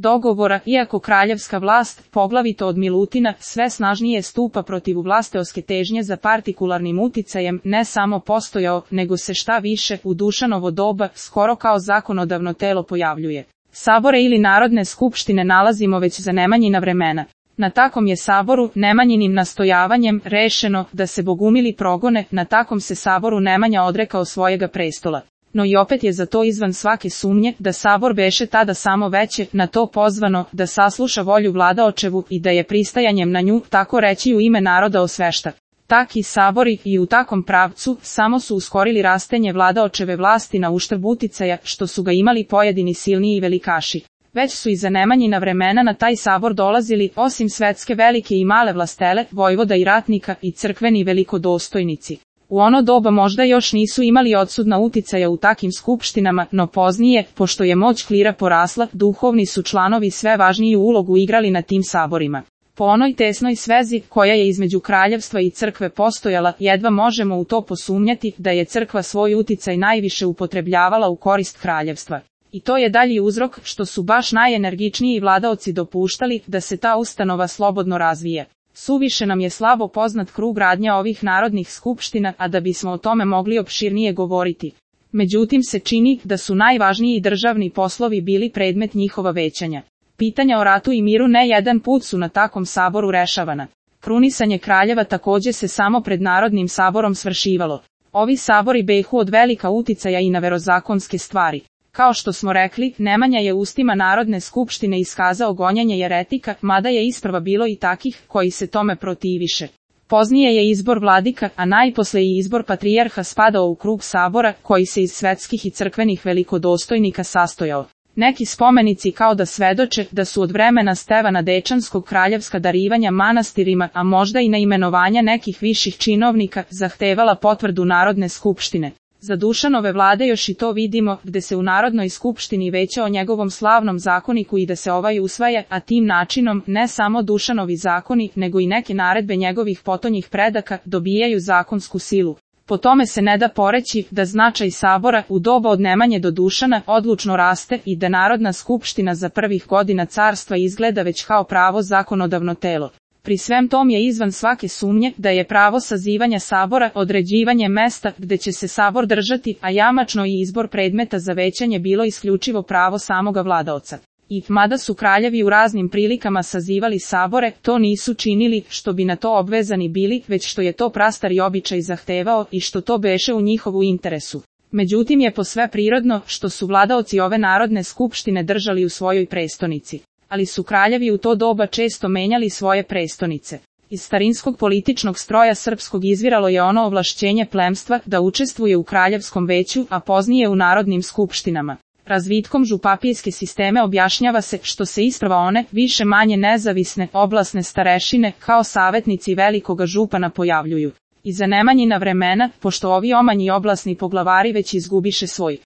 dogovora, iako kraljevska vlast, poglavito od Milutina, sve snažnije stupa protiv vlasteoske težnje za partikularnim uticajem, ne samo postojao, nego se šta više, u Dušanovo doba, skoro kao zakonodavno telo pojavljuje. Sabore ili narodne skupštine nalazimo već za Nemanjina vremena. Na takom je saboru, Nemanjinim nastojavanjem, rešeno da se bogumili progone, na takom se saboru Nemanja odrekao svojega prestola. No i opet je za to izvan svake sumnje, da sabor beše tada samo veće, na to pozvano, da sasluša volju vladaočevu i da je pristajanjem na nju, tako reći u ime naroda osvešta. Taki sabori i u takom pravcu samo su uskorili rastenje vladaočeve vlasti na uštrb uticaja, što su ga imali pojedini silniji velikaši. Već su i za Nemanjina vremena na taj sabor dolazili, osim svetske velike i male vlastele, vojvoda i ratnika i crkveni velikodostojnici. U ono doba možda još nisu imali odsudna uticaja u takim skupštinama, no poznije, pošto je moć klira porasla, duhovni su članovi sve važniju ulogu igrali na tim saborima. Po onoj tesnoj svezi, koja je između kraljevstva i crkve postojala, jedva možemo u to posumnjati da je crkva svoj uticaj najviše upotrebljavala u korist kraljevstva. I to je dalji uzrok što su baš najenergičniji vladaoci dopuštali da se ta ustanova slobodno razvije. Suviše nam je slabo poznat krug radnja ovih narodnih skupština, a da bismo o tome mogli opširnije govoriti. Međutim se čini da su najvažniji državni poslovi bili predmet njihova većanja. Pitanja o ratu i miru ne jedan put su na takom saboru rešavana. Krunisanje kraljeva takođe se samo pred Narodnim saborom svršivalo. Ovi sabori behu od velika uticaja i na verozakonske stvari. Kao što smo rekli, Nemanja je ustima Narodne skupštine iskazao gonjenje jeretika, mada je isprva bilo i takih koji se tome protiviše. Poznije je izbor vladika, a najposle i izbor patrijarha spadao u krug sabora, koji se iz svetskih i crkvenih velikodostojnika sastojao. Neki spomenici kao da svedoče da su od vremena Stevana Dečanskog kraljevska darivanja manastirima, a možda i na imenovanja nekih viših činovnika, zahtevala potvrdu Narodne skupštine. Za Dušanove vlade još i to vidimo, gde se u Narodnoj skupštini veća o njegovom slavnom zakoniku i da se ovaj usvaja, a tim načinom ne samo Dušanovi zakoni, nego i neke naredbe njegovih potonjih predaka dobijaju zakonsku silu. Po tome se ne da poreći da značaj sabora u doba od Nemanje do Dušana odlučno raste i da Narodna skupština za prvih godina carstva izgleda već kao pravo zakonodavno telo. Pri svem tom je izvan svake sumnje da je pravo sazivanja sabora određivanje mesta gde će se sabor držati, a jamačno i izbor predmeta za većanje bilo isključivo pravo samoga vladaoca. I mada su kraljevi u raznim prilikama sazivali sabore, to nisu činili što bi na to obvezani bili, već što je to prastari običaj zahtevao i što to beše u njihovu interesu. Međutim je posve prirodno što su vladaoci ove Narodne skupštine držali u svojoj prestonici. Ali su kraljevi u to doba često menjali svoje prestonice. Iz starinskog političnog stroja srpskog izviralo je ono ovlašćenje plemstva da učestvuje u kraljevskom veću, a poznije u narodnim skupštinama. Razvitkom župapijske sisteme objašnjava se što se isprva one, više manje nezavisne, oblasne starešine, kao savetnici velikoga župana pojavljuju. I za Nemanjina vremena, pošto ovi omanji oblasni poglavari već izgubiše svoj